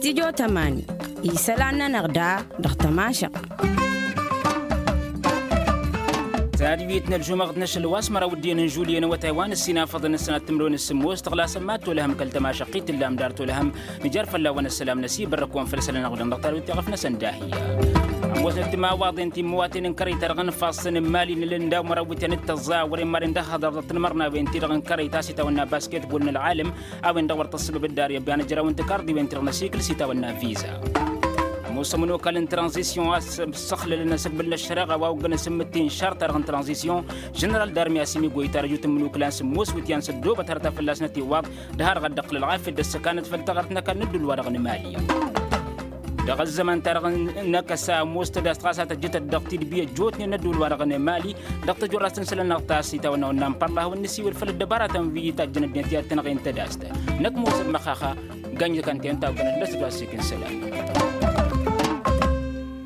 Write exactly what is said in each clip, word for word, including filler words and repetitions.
Tijo tămani isălan-nănăɣ da dăɣ-tămašăɣt. Tadwit n-ălžumăɣt n-ašăl wa s-măraw dd-iyyăn n-žulye n-awătay wa n-ăssinafăḍăn ăssanat timǝrwen s-sǝmmos tăɣlasăn mad-tolăhăm kăl-tămašăɣt i-tǝllam dar tolăhăm. Nǝjar fălla-wăn ăssălam n-asibărrăk-wăn făll-isălan n-aɣudăn dăɣ-tadwit i-ɣăf-năsăn d-ahiyya. Ămoosnăt timawaḍen timmăwaten n-kărăy-ta-dăɣ n-ifassăn n-imali n-ǝllan daw-măraw iwǝtyan d-tăẓẓa wăren maren d-ăhhăḍăr dăɣ-tanmărnawen-ti-dăɣ n-kărăy ta s-itawănna basketbol n-ălɣalăm. A-wen-dăɣ wăr tăssăbăb dd-arǝyăb i-ad-nǝjrawăn tăkarḍiwen-ti-dăɣ n-asikǝl s-itawănna viza. Ămoos ămănokal n-tranzisyon a s-ăssăxlălăn asǝkbǝl n-ăššăreɣa wa oggăn asǝmmǝtte n-šarta-dăɣ n-tranzisyon. Ženeral darmi asǝmigoy tarăjut n-imǝnuklan s-ămoos iwǝtyan s-ăddoobăt hărăt a fălla-snăt iwwaḍ. D-har dăɣ-dd-iqqǝl ălɣafyăt d-ăssăkanăt făll-taɣărt n-ăkall n-ădduul-wa-dăɣ n-imali. Dăɣ-ăzzăman-ta-dăɣ n-ăkăsa ămoos tădast ɣas a tăjjătăt dăɣ-tidbi ăjjootnen n-ădduul-wa-dăɣ n-imali. Dăɣ-tăjorrast n-isălan-năɣ ta s-itawănna wănnan părlahăwăn n-isiwǝl făll-ăddăbaratăn wi tajjăn ăddinăt i-ad-tăn-ăɣen tădast. Năkk mosăl măxaxa gănjăkăn-ten tawgănăt d-asǝt wa s-ikǝn isălan.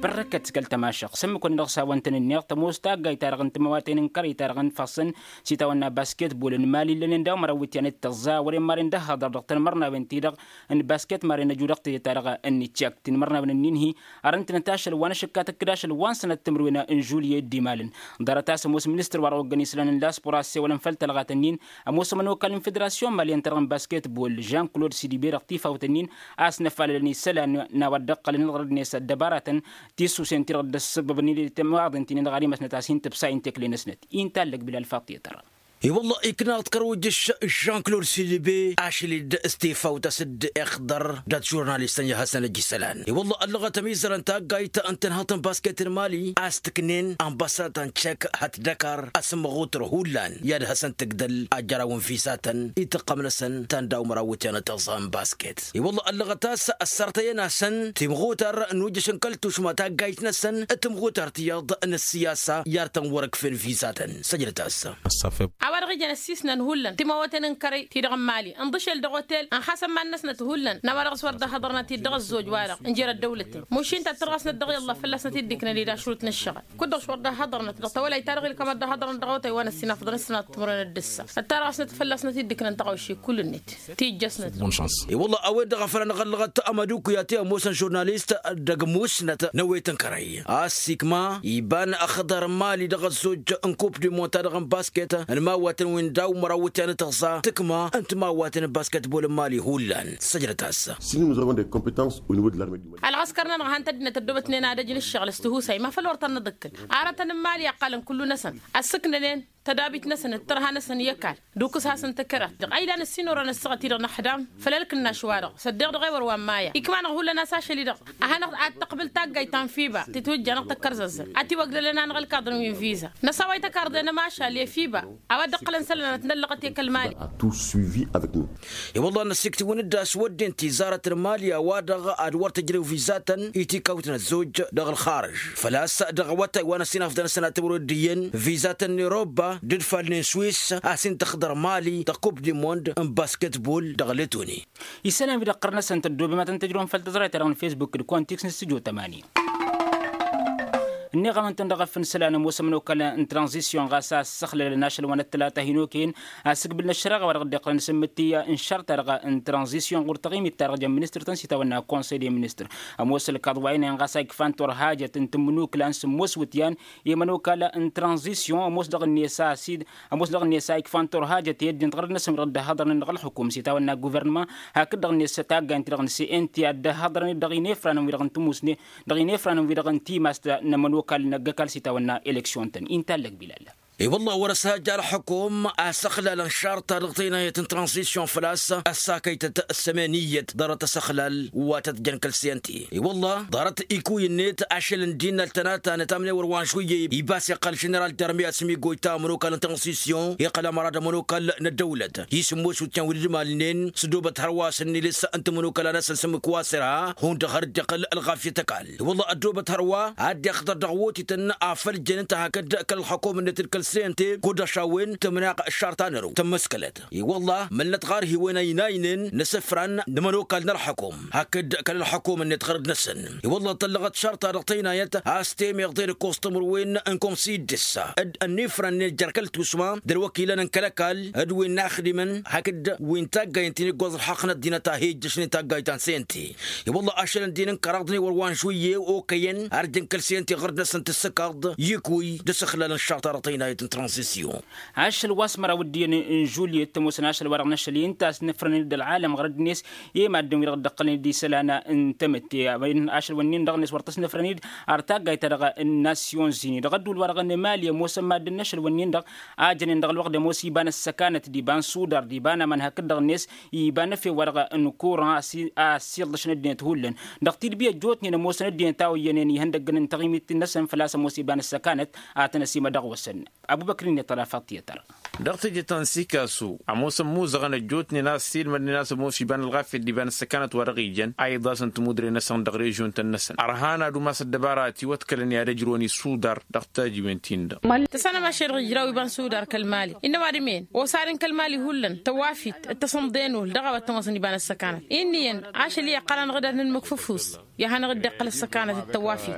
Părrăkăt kăl-tămašăɣt s-ǝmmǝk-wăn-dăɣ s-hawăn-tăn-ǝnneɣ tămoos taggayt-ta-dăɣ n-timawaten n-kărăy-ta-dăɣ n-ifassăn s-itawănna basketbol n-imali ǝllănen daw-măraw iwǝtyan d-tăẓẓa wăren maren d-ăhhăḍăr dăɣ-tanmărnawen-ti-dăɣ n-basket maren ăju dăɣ-teje-ta-dăɣ n-niččak tinmărnawen ǝnnin-hi. Arǝntǝnăt ašăl wa n-ašǝkka tǝkkǝd ašăl wa n-sănat timǝrwen n-žulye dd-imalăn. Ḍarăt a-s ămoos ministăr wa dăɣ-oggăn isălan n-laspor a ăssewălăn făll-tălɣat-ǝnnin. Ămoos ămănokal n-federasyon malyan-ta-dăɣ n-basketbol žan-klod sidibe dăɣ-tifawt-ǝnnin a-s năfalălăn isălan n-a-wa dd-ăqqălăn iɣrăd-net ăddăbaratăn tisusen-ti-dăɣ dd-ăssăbăbnen i-timawaḍen ti-nin-dăɣ ad-imăsnăt a-s hin-tǝbsa i n-tekle-năsnăt. Inta ăllăg bilal faṭṭi tăra. I-wălla ikna-ɣ-dd kăr-ojjăš žan-klod sidibe ašăl-dd s-tifawt a-s dd-iɣḍăr dat-žurnalist n-ihăsăn ăj isălan i-wălla ăllăɣăt ămizărăn taggayt n-tǝnhăḍt n-basket n-imali a-s tǝknen ănbăsatăn ček hăt dăkar asǝmmăɣutăr hullan i-ad-hasăn-tǝgdăl ajăraw n-vizatăn i-tǝqqăm-năsăn ta n-daw-măraw iwǝtyan n-tăẓẓa n-basket. I-wălla ăllăɣăt a-s ăssărtăyăn-asăn timɣutăr n-ujjăš n-kăl-tušma taggayt-năsăn d-timɣutăr tiyyăḍ n-ăssiyasa i-ar tăn-wăr-ǝkfen vizatăn. Săjdăt-as. A-wa-dăɣ ijăn ăssiisnăn hullan timawăten n-kărăy-ti-dăɣ n-imali ǝnḍǝšel dăɣ-otel ănxasăn iman-năsnăt hullan n-a-wa-dăɣ s-wăr dd-ăhhăḍărnăt-dd dăɣ-ăzzoj-wa-dăɣ n-jer-ăddăwlăten mušin ta tărɣasnăt dăɣ-iyyălla fălla-snăt dd-iknăn-dd ašrut n-ǝššăɣǝl. Kud-dăɣ s-wăr dd-ăhhăḍărnăt dăɣ-tawălayt-ta-dăɣ ilkămăt dd-ăhhăḍărnăt dăɣ-awătay wa n-ăssinafăḍăn s-sănat timǝrwen d-ǝssa ăttarăɣ-asnăt fălla-snăt dd-iknăn tăɣawše kull-net. Tijjăsnăt. Bonšans. I-wălla a-wen-dăɣ a făl anăɣ-ăllăɣăt ămădukuyat i-ămoosăn žurnalist dăgg-musnăt n-ewet n-kărăy a-s ikma iba n-ăxḍăr n-imali dăɣ-ăzzoj n-kup dimon-ta-dăɣ n-basket n-imawatăn wi n-daw-măraw iwǝtyan n-tăẓẓa tǝkma n-timawatăn n-basketbol n-imali hullan. Săjdăt-as. Si nu nǝẓrăwăn dăgg-competans u n-wăd larme. Ălɣăskăr-nănăɣ han tăddinăt ăddoobătnen ad-ăj n-ǝššăɣǝl s-tihusay ma făl wăr tăn-nǝḍǝkkǝl. Arătăn n-imali ăqqalăn kullu-năsăn ăssǝknănen tădabit-năsăn d-tărha-năsăn i-ăkall d-ukǝs-hasăn tăkărat dăɣ-ayla n-ǝssin orăn ăssaɣăt-i-dăɣ n-ăxdam. Făll-ălkǝnnaš-wa-dăɣ s-ăddeɣ dăɣ-e-wăr wa n-maya ikma-năɣ hullan a-s ašăl-i-dăɣ a hanăɣ-tăqbǝl taggayt ta n-fiba titwǝjja-năɣ tăkkărzăzzăn. Ad-t-iwăgdălăn anăɣ-ălkaḍăn wi n-viza năsaway tăkarḍe n-ămašal i-fiba a-wa dd-ǝqqǝlăn isălan ad-t-năllăɣăt i-kăl-mali. I-wălla năsiktǝwăn-dd a-s wădden tizarăt n-imali a-wa-dăɣ ad-wăr tǝjrew vizatăn i-tikawt n-ăzzoj dăɣ-ălxarǝž făl-a-s dăɣ-awătay wa n-ăsinafḍăn s-sănatăwăr dd-iyyăn vizatăn n-irobba d-ǝdfalnen swis a-s hin-tăxḍăr imali dăɣ-kup dimond n-basketbol dăɣ-letoni. Isălan wi-dăɣ ɣur-năsăn tăddoobem ad-tăn tăjrăwăm făll-tăẓrayt-ta-dăɣ n-fesbuk d-kontiks n-stujo tămani. Ǝnniɣ-awăn-tăn dăɣ-efăn isălan ămoos ămănokal n-tranzisyon ɣas a ăssăxlălăn ašăl wa n-ăttălata hin-okăyăn asǝkbǝl n-ăššăreɣa wa dăɣ-dd-iqqălăn s-ǝmmǝttǝy n-šăr-ta-dăɣ n-tranzisyon ɣur-taɣimit-ta-dăɣ jăn ministăr-tăn s-itawănna konsăy de ministăr. Ămoos ălkaḍ wa inăyăn ɣas a ikfan turhajăt n-tǝmmǝnukǝla n-sǝmmos iwǝtyan i-ămănokal n-tranzisyon ămoos dăɣ-net a-s dd-ămoos dăɣ-net a ikfan turhajăt i-ăddin tiɣrăd-năsăn wi-dăɣ dd-ăhhăḍărnen dăɣ-ălxukum s-itawănna guvernăma hakd-dăɣ-net taggaynt-ti-dăɣ n-cnt a dd-ăhhăḍărnen dăɣ-inefranăn wi-dăɣ n-timusne dăɣ-inefranăn wi-dăɣ n-timast n-ămănokal n-ăgg-ăkall s-itawănna eleksyon-tăn inta ăllăg bilal. I-wălla wăr-ăshajja ălxukum a ăssăxlalăn šarta dăɣ-tăynayăt n-tranzisyon făl-a-s ăssakăytăt s-emeniyăt ḍarăt asăxlal wa tăt-jăn kăl-cnt. I-wălla ḍarăt ikuy-net ašăl n-dinăl tănata n-etamnewăr wa n-šuyyăy ibas iqqăl ženeral darmi asǝmigoy ta ămănokal n-tranzisyon iqqăl ămăra d-ămănokal n-ăddăwlăt i-sǝmmos wǝtyan wi dd-imalnen s-ăddoobăt hărwa s-ǝnnilǝs n-timănokăla-năsăn s-ǝmmǝk wa s-irha hundăɣ har dd-iqqăl ălɣafyăt ăkall. I-wălla ăddoobăt hărwa ad-dd-iqqăḍăr dăɣ-wotităn a făl jăn ǝnta hakd kăl-ălxukum-net d-kăl s-ente kud-ăšawen tǝmnaɣ ăššarta n-ărǝw tămmăskălăt. I-wălla mălnăt ɣarhiwen ăynaynen n-asǝfran n-ămănokal n-ălxăkum hakd kăl-ălxăkum-net ɣărăd-năsăn. I-wălla tăllăɣăt šarta dăɣ-tăynayăt a-s temeḍe d-ǝkkoẓ timǝrwen n-komsi d-ǝssa d-ănnifrăn-net jer-kăl-tusma d-ălwăkilăn n-kăl-ăkall d-wi n-inaxdimăn hakd wi n-taggayt n-iggoẓ ălxaqq n-ăddinăt a hi-ijjăšnen taggayt ta n-sente. I-wălla ašăl ǝndin n-kăraḍ n-iwăr wa n-žuyye okăyăn arjăn kăl-sente ɣărăd-năsăn tǝssǝkaḍ yikwi d-asǝxlal n-šarta dăɣ-tăynayăt n-tranzisyon. Ašăl wa s-măraw ǝddiyăn n-žulyet ămoosăn ašăl-wa-dăɣ n-ašăl i-ǝnta a-s nǝfrănăn-dd ălɣalăm ɣărăd-net i-maddǝn-wi-dăɣ dd-ăqqălnen d-isălan n-tamǝtte. Ašăl-wǝnnin-dăɣ-net wăr tăsnăfrăn-dd ar taggayt-ta-dăɣ n-nasyonzini dăɣ-ădduul-wa-dăɣ n-mali ămoosăn maddǝn n-ašăl-wǝnnin-dăɣ a jănen dăɣ-ălwăqq d-ămoos iba n-ăssăkanăt d-iba n-sudar d-iba n-aman hakd-dăɣ-net iba n-efew-wa-dăɣ n-kuran a ăssiiḍlăšăn ăddinăt hullan dăɣ-tidbi ăjjootnen ămoosăn ăddinăt a oyyănen ihăndăggăn n-taɣimit-năsăn făl-a-s ămoos iba n-ăssăkanăt. A tăn-ăsimădăɣ wăsăn abubăkr-net ălafăḍ tiyătăr. Dăɣ-teje ta n-sikasu ămoosăn muzăɣăn ăjjootnen a ăssiilmădnen a-s ămoos iba n-ălɣafyăt d-iba n-ăssăkanăt wa dăɣ-ijăn a iḍasăn timudre-năsăn dăɣ-režion-tăn-năsăn ărhan ad-umas ăddăbara a tiwătkălăn i-ad-ăjrăwăn isudar. Dăɣ-tajiwen-tin-dăɣ. Tăssanăm ašăl dăɣ-ijraw iba n-sudar kăl-mali innă ăwadǝm-en osadǝn kăl-mali hullan tăwafit d-tasǝmḍe n-ul dăɣ-a-wa t-ămoosăn iba n-ăssăkanăt. Inn'-iyyăn ašăl i-iqqălăn ɣǝdad n-ǝmmǝk făfus i-ad-hanăɣ-dd-iqqăl ăssăkanăt d-tăwafit.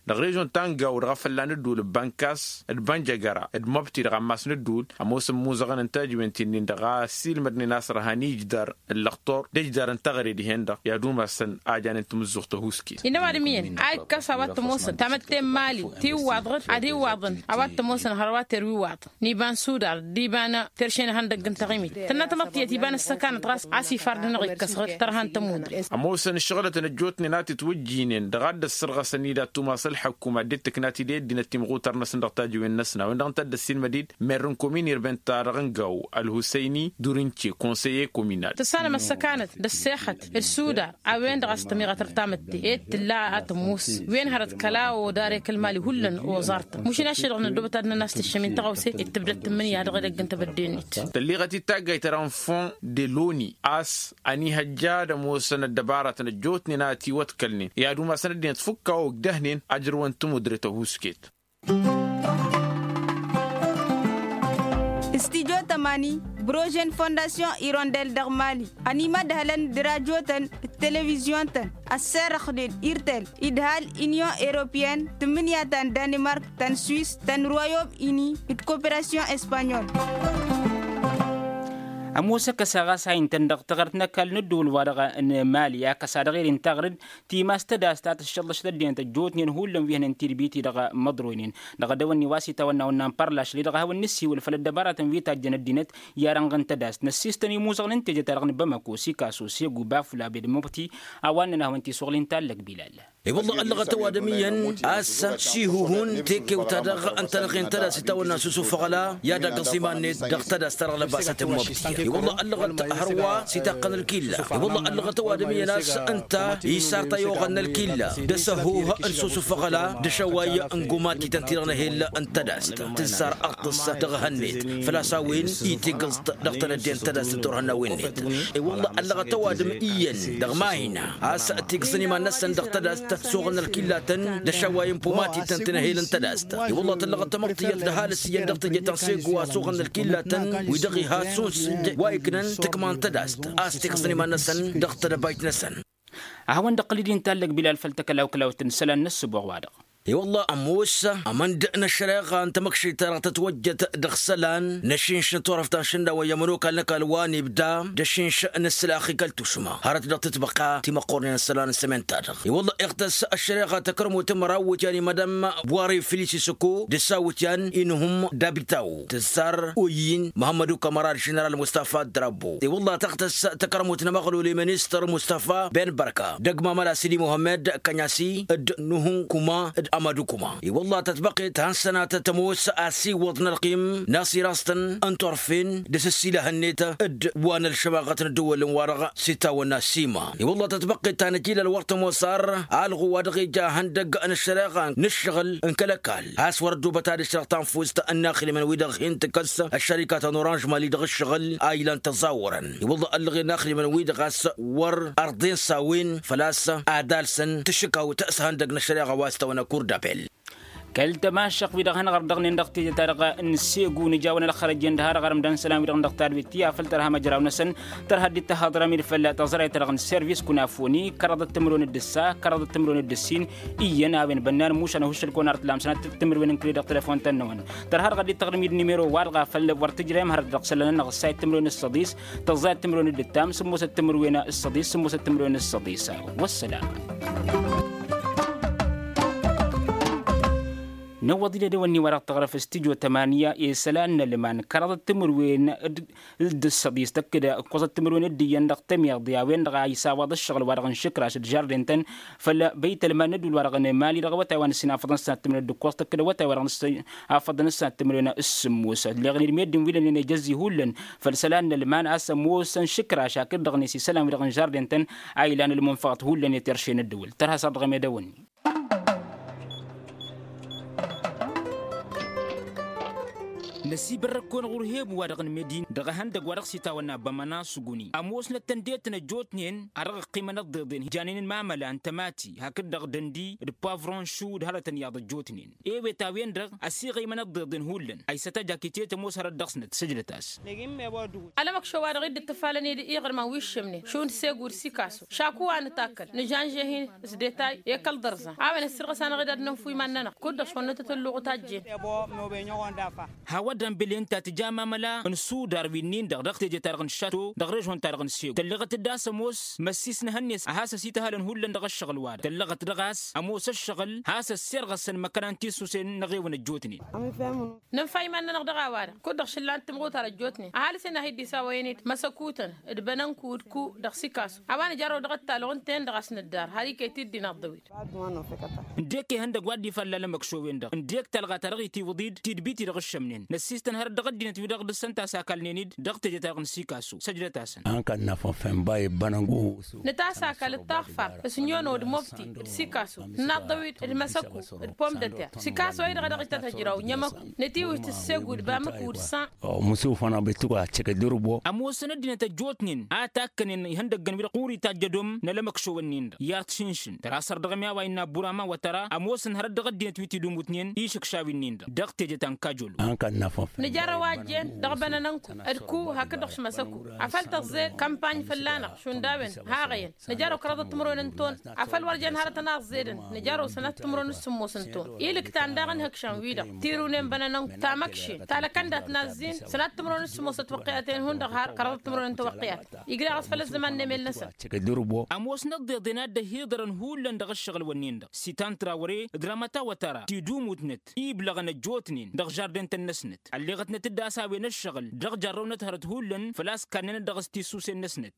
Dăɣ-režion ta n-gaw dăɣ-afălla n-ădduul n-bankas d-bănjăgăra d-măbti dăɣ-ammas n-ădduul ămoosăn muzăɣăn n-tajiwen-t-in-dăɣ a ăssiilmădnen a-s ărhan ijdar ǝllăɣtor d-ijdar n-taɣre dihen-dăɣ i-ad-umasăn a janen tamǝzzuɣt tăhuusket. Innă ăwadǝm iyyăn a ikkăs a-wa t-ămoosăn tamătte n-mali tiwwaḍ ɣǝd ad-iwwaḍăn a-wa t-ămoosăn hărwa terwiwaḍ n-iba n-sudar d-iba n-terše n-ihăndăgg n-taɣimit tănna tamăḍt tiyyăt iba n-ăssăkanăt ɣas a-s ifardăn-dăɣ ikkăs ɣǝd tărha n-tămudre. Ămoosăn ǝššăɣǝlătăn ăjjootnen a t-itwǝjjinen dăɣ-ad-dd-ăssărɣăsăn-dd ad-tumas ălḥăkkum ad-dd-tǝkna tideddi n-ăttimɣutar-năsăn dăɣ-tajiwen-năsna a-wen-dăɣ ǝnta a dd-ăssiilmăd-dd mer n-komin irbent ta dăɣ-ǝngaw ălhusăyni durince konseyer kominal. Tǝssanăm ăssăkanăt d-ăssexăt d-sudar a-wen-dăɣ a-s tămiɣăt ărtamǝtte ed tǝlla a tămmus wen hărăt kăla odare kăl-mali hullan oẓartăn mušin ašăl-dăɣ năddobăt ad-năn-as-tǝššăm i-n tăɣawse d-tǝbdăt tǝmmǝnǝya dăɣ-edăgg n-tebădde-net. Tălliɣăt-dd taggayt ta dăɣ-n fond de loni a-s ănihăjja ad-ămoosăn ăddăbaratăn ăjjootnen a ătiwătkălnen i-ad-umasăn ăddinăt fukk a ogdăhnen ajrăwăn timudre tăhusket. Studyo tămani brožen fondasyon irondel dăɣ-mali ănimădhălăn d-rajotăn d-televizyon-tăn ăsserăxnen irtel idhal inyon europyen tǝmmǝnǝya ta n-danimark ta n-swis ta n-royom ini d-koperasyon espanyol. Ămoos ăkăsa ɣas a intăn dăɣ-taɣrǝt n-ăkall n-ădduul-wa-dăɣ n-mali akăsa dăɣ-eren taɣrǝt timas tădast ta tǝššăllăš tăddinăt ăjjootnen hullan wi hănen tidbit-i-dăɣ măḍroynen dăɣ-edăwănni wa s-itawănna wănna n-părlašli-dăɣ a hawăn-nǝssiwǝl făll-ăddăbaratăn wi tajjăn ăddinăt i-arănɣ n-tădast năssistăn imuzăɣăn n-teje-ta-dăɣ n-bamako sikaso segu bafula bed măbti. A-wa ǝnnăn a hawăn-tiswăɣlin tallăg bilal. I-wălla ăllăɣăt ăwadǝm iyyăn a-s sihuhun tekewt-ta-dăɣ ǝnta dăɣ-hen tădast itawănna s-usufăɣ ăla i-ad-agg ăẓiman-net dăɣ-tădast ta dăɣ-lăbasăt n-măbti. I-wălla ăllăɣăt hărwa s-itaqqăn ălkilla. I-wălla ăllăɣăt ăwadǝm iyyăn a-s ǝnta isar tăyoɣăn n-ălkilla d-asăhuh n-susufăɣ ăla d-ašăway n-gumatităn-ti-dăɣ n-ehel n-tădast tǝzzar ăṭṭǝs dăɣ-ehăn-net. Făl-a-s a-wen itigǝẓt dăɣ-tanădde n-tădast n-turhănnawen-net. I-wălla ăllăɣăt ăwadǝm iyyăn dăɣ-mahina a-s tigǝẓăn iman-năsăn dăɣ-tădast s-oɣăn ălkillatăn d-ašăway n-pumatităn ti n-ehel n-tădast. I-wălla tăllăɣăt tamăḍt tiyyăt d-ăhalǝs iyyăn dăɣ-teje ta n-sego a-s oɣăn ălkillatăn wi-dăɣ iha suns wa iknan tǝkma n-tădast a-s tigǝẓăn iman-năsăn dăɣ-tedăbayt-năsăn. A hawăn-dd-ăqqǝl-dd intallăg bilal făll-takălawklawt n-isălan n-ăssǝboɣ-wa-dăɣ. I-wălla ămoos ămănd n-ăššăreɣa n-tamăkšit-ta-dăɣ tătwăjjăt dăɣ-isălan n-ašinš n-turăft ta n-išǝnnawăn i-ămănokal n-ăkall wa n-ibda d-ašinš n-ǝslăx i-kăl-tušma hărăt dăɣ-tǝtbăqqa timăqqornen n-isălan n-sămen-ta-dăɣ. I-wălla iɣtăs ăššăreɣa takărmut n-măraw iwǝtyan i-madam buware filisisăko d-ăssawǝtyan inhum dabitaw tǝzzar oyin măhămmădu kămăra d-ženeral mustafa drabo. I-wălla tăɣtăs takărmut n-amăɣlul i-ministăr mustafa ben bărka d-ăgg mamăla sidi muhămmăd kănyasi d-nuhun kuma d-amadu kuma. I-wălla tătbăqqet han sănatăt ămoos asiwăḍ n-ălqim n-asiraẓ-tăn n-turfen d-asǝssilăh-net d-wa n-ălšămaɣăt n-ăddăwălăn-wa-dăɣ s-itawănna sima. I-wălla tătbăqqet ta n-ajilăl wăr tămoos ar alɣu wa dăɣ-ija ihăndăgg n-ăššăreɣa n-ǝššăɣǝl n-kăl-ăkall a-s wăr-ăddubăt ad-ǝšrăɣ tanfust n-inaxdimăn wi-dăɣ hin-tǝkkăs ăššărika ta n-oranž mali dăɣ-ǝššăɣǝl a ilan tăẓawărăn. I-wălla ăllăɣen inaxdimăn-wi-dăɣ a-s wăr ărḍen s-a-wen făl-a-s ad-alsăn tašǝkawt s-ihăndăgg n-ăššăreɣa wa s-tawănna kurdapel. Kăl-tămašăɣt-wi-dăɣ hanăɣ-ărdăɣnen dăɣ-teje-ta-dăɣ n-segu n-ijawăn ălxărăjjen d-ha-dăɣ arăm d-ansălan-wi-dăɣ n-dăɣ tadwet ti afăl tărha măjraw-năsăn. Tărha dd-tăhaḍrăm-dd fălla tăẓrayt-ta-dăɣ n-servis kunafoni kăraḍăt timǝrwen d-ǝssa kăraḍăt timǝrwen d-ǝssin. Iyyăn a-wen bănnan mušan ăhuššăl-kăwăn ar t-lamsăn ad-t-timǝrwen n-kăli dăɣ-telefon-tăn-năwăn. Tărha-dăɣ a dd-tăɣrǝm-dd nimero-wa-dăɣ a făl wăr tǝjrem hărăt dăɣ-isălan-nănăɣ ǝssayăt timǝrwen s-săḍis tăẓẓayăt timǝrwen d-ǝttam sǝmmosăt timǝrwen s-săḍis sǝmmosăt timǝrwen s-săḍis. Wăssalam. Năwwăḍ-dd edăwănni-wa-dăɣ tăɣrăf s-tijo tămanya i-isălan n-ălman kăraḍăt timǝrwen d-ǝssăḍis tăkk-dd ǝkkoẓăt timǝrwen d-iyyăn dăɣ-tămiḍe a-wen-dăɣ a isawaḍ ǝššăɣǝl-wa-dăɣ n-išǝkraš d-žarden-tăn făll-băytălman n-ădduul-wa-dăɣ n-emali dăɣ-awătay wa n-ǝssin afăḍăn s-sănat timǝrwen d-ǝkkoẓ tăkk-dd awătay wa dăɣ-n ǝssin afăḍăn s-sănat timǝrwen s-sǝmmos ălleɣnen meddǝn wi lănnen ejăzzi hullan făll-isălan n-ălman a-s ămoosăn išǝkraš hakd-dăɣ-net isălan-wi-dăɣ n-žarden-tăn a ilan ălmunfăɣăt hullan i-terše n-ăddăwăl tărha s-ad-dăɣ-em edăwănni. Năsibărrăk-kăwăn ɣur-hebu-wa-dăɣ n-medin dăɣ-ehăndăgg wa dăɣ-s itawănna bămăna s-uguni ămoosnăt tăndetăn ăjjootnen a dăɣ-ăqqimăn ăḍḍeḍen janen n-imamăla n-tămati hakd-dăɣ dăndi d-pavron šu d-hărătăn iyyăḍ ăjjootnen. Ewet a-wen-dăɣ ăsiɣăymăn ăḍḍeḍen hullan a isătajak itet ămoos hărăt dăɣ-snăt sǝjdăt-as. Alămăkšo-wa-dăɣ i-dd-ǝttǝfalăn-dd iɣrǝmăn wi ǝššǝmnen šund segu d-sikasu šaku wa nǝtakkăl nǝžanže-hin s-detay i-kăl-ḍărẓan a-wen ăssirɣăs-anăɣ-dd ad-nǝnfu iman-nănăɣ kud-dăɣ šund nǝtǝtǝlluɣ tajjen. Hawădăn bǝlen ta tǝja mamăla n-sudar wi-nin-dăɣ dăɣ-teje-ta-dăɣ n-šato dăɣ-režon-ta-dăɣ n-sego tălleɣăt-dd a-s ămoos măssis n-ehăn-net a has-ăsităhălăn hullan dăɣ-ăššăɣǝl-wa-dăɣ tălleɣăt dăɣ-a-s ămoos ăššăɣǝl has-ăssirɣăsăn măkkăna n-tisusen n-ăɣewăn ăjjootnen. Nǝnfa iman-nănăɣ dăɣ-a-wa-dăɣ kud-dăɣ šǝllan timɣutar ăjjootnen ăhalǝs-en a hi-dd-isawăyăn-dd măsăkutăn d-bănănku d-ku dăɣ-sikasu a-wa nǝjarrăw dăɣ-ăttalăɣ ǝnta-en-dăɣ a-s nǝddar har iket-dd-inaḍḍăw-dd. Ǝndek ihăndăgg wa dd-ifalla alămăkšowen-dăɣ ǝndek talɣa ta dăɣ-itiwǝḍ-dd tidbit-i-dăɣ ǝššămnen năssiistăn hărăt dăɣ-ăddinăt wi-dăɣ dăr-săn tasakal-nen-dd dăɣ-teje-ta-dăɣ n-sikasu săjdăt-asăn. Ănka n-afănfenba i-ăbbănăngu. Nǝtasakal d-taɣfart s-nyono d-mobti d-sikasu nǝnaḍḍăw-dd d-măsăku d-pom-dăter sikasu a-i-dăɣ a dăɣ-itatăjraw n-emăku nǝtiwǝjt ǝssegu d-bamăku d-san. Mǝsufăn abettuk a căkădăr-bo. Ămoosăn ăddinăt ăjjootnen a takkănen ihăndăggăn wi-dăɣ ɣur-itajj ădom n-alămăkšowăn-nin-dăɣ i-ad-t-šǝnšǝn tăra săr dăɣ-ămiyawa innă abur ama wa tăra ămoosăn hărăt dăɣ-ăddinăt wi t-idumutnen išǝkšaw-in-nin-dăɣ dăɣ-teje ta n-kajolo. Nǝjarrăw a ăjjeen dăɣ-bănănănku d-ku hakd-dăɣ šmăsăku afăl tăẓẓe kămpany fălla-năɣ šund a-wen haɣăyăn nǝjarrăw kăraḍăt timǝrwen n-ton afăl wăr jen hărătăn a ăẓẓedăn nǝjarrăw sănat timǝrwen s-sǝmmos n-ton. Ilǝktan daɣ ǝnhǝkšăn-wi-dăɣ tirǝwnen bănănănk tamăkšen talăkăn dat-nazzin sănat timǝrwen s-sǝmmosăt wăqqiyaten hundăɣ har kăraḍăt timǝrwen n-tawăqqiyat. Igla ɣas făll-ăzzăman n-emel-năsăn. Ămoosnăt ḍeḍen a dd-ăhiḍărăn hullan dăɣ-ăššăɣǝl-wǝnnin-dăɣ sitan trawăre d-ramăta wătăra tidumutnăt iblăɣăn ăjjootnen dăɣ-žardentăn-năsnăt ălleɣătnăt-dd a-s a-wen ăššăɣǝl dăɣ-jarrăwnăt hărăt hullan făl-a-s kannănăt dăɣ-s tisusen-năsnăt.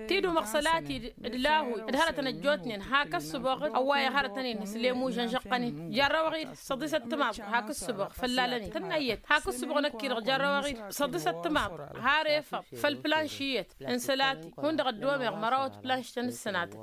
Tidumăɣ sălati d-lahuy d-hărătăn ăjjootnen hak ǝssǝboɣ-dd ăwwayăɣ hărătăn-in s-lemu žănžăqqăn-in jarrăwăɣ-dd săḍisăt timaḍt hak ǝssǝboɣ făllalăn-in tǝnnăyyăt hak ǝssǝboɣ năkk-i-dăɣ jarrăwăɣ-dd săḍisăt timaḍt har efăḍ făll-planš iyyăt n-sălati hundăɣ ăddomeɣ mărawăt planš-tăn s-sănatăn.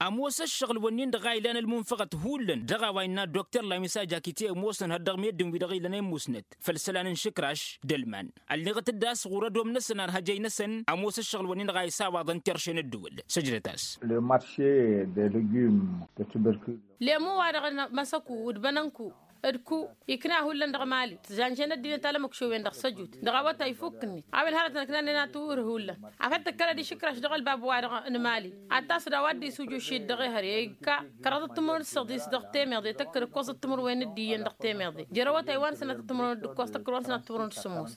Ămoos ăššăɣǝl-wǝnnin-dăɣ a ilan ălmunfăɣăt hullan dăɣ-a-wa innă dokter lamisa jakite ămoosăn hăr dăɣ-meddǝn-wi-dăɣ ilăn i-musnăt făll-isălan n-išǝkraš d-ălman. Ălleɣăt-dd a-s ɣur-ădom-năsăn arhăjăy-năsăn ămoos ăššăɣǝl-wǝnnin-dăɣ a isawaḍăn terše n-ăddǝwǝl. Săjdăt-as. Le marše de legume de tubercule. Lemu-wa-dăɣ n-măsăku d-bănănku d-ku ikna hullan dăɣ-mali tǝzanžen ăddinăt alămăkšowen dăɣ-săjut dăɣ-awătay ifukk-net a-wen hărătăn ǝknannen a tǝwǝr hullan afăl tǝkkălăd išǝkraš dăɣ-ălbab-wa-dăɣ n-mali ad-tasǝd a-wa dd-isuj ušit dăɣ-ehăr i-ikka kăraḍăt timǝrwen d-săḍis dăɣ-temeḍe tăkkăd ǝkkoẓăt timǝrwen d-iyyăn dăɣ-temeḍe jer-awătay wa n-sănatăt timǝrwen d-ǝkkoẓ tăkkăd wa n-sănatăt timǝrwen d-sǝmmos.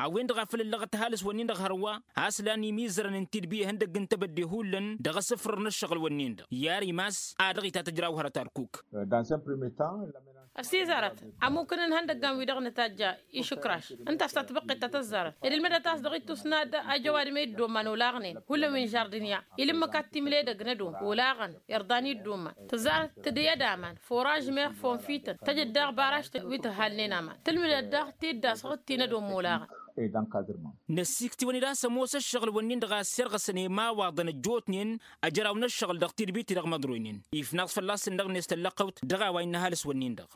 A-wen-dăɣ a făl ǝllăɣăt ăhalǝs-wǝnnin-dăɣ hărwa a-s lan imizărăn n-tidbi ihăndăgg n-tebădde hullan dăɣ-asǝfrăr n-ăššăɣǝl-wǝnnin-dăɣ i-ar imas a dăɣ-itatăjraw hărăt arkuk. Ăsizarăt ămukǝn n-ihăndăggan-wi-dăɣ nǝtajja išǝkraš ǝnta a-s tatbăqqet ta tăzzarăt ed ǝlmǝdăt a-s dăɣ-ittus n-ad-ajăwad ma iddoma n-olaɣnen hullan wi n-žardǝnya ilǝmmǝk ad-timle edăgg n-ădom olaɣăn irḍan iddoma tǝzzarăt tǝdǝyăd aman furaž meɣ fonfităn tăjăd daɣ baraž wi tǝhalnen aman tǝlmǝdăt daɣ tiddas ɣǝttin ădom olaɣăn. Năssikt'-iwăn-dd a-s ămoos ăššăɣǝl-wǝnnin-dăɣ a ăssirɣăsăn i-imawaḍăn ăjjootnen ăjraw n-ăššăɣǝl dăɣ-tidbit-i-dăɣ măḍroynen ifnaẓ fălla-s ǝnnăɣ-net tăllăɣtăwt dăɣ-a-wa innă ăhalǝs-wǝnnin-dăɣ.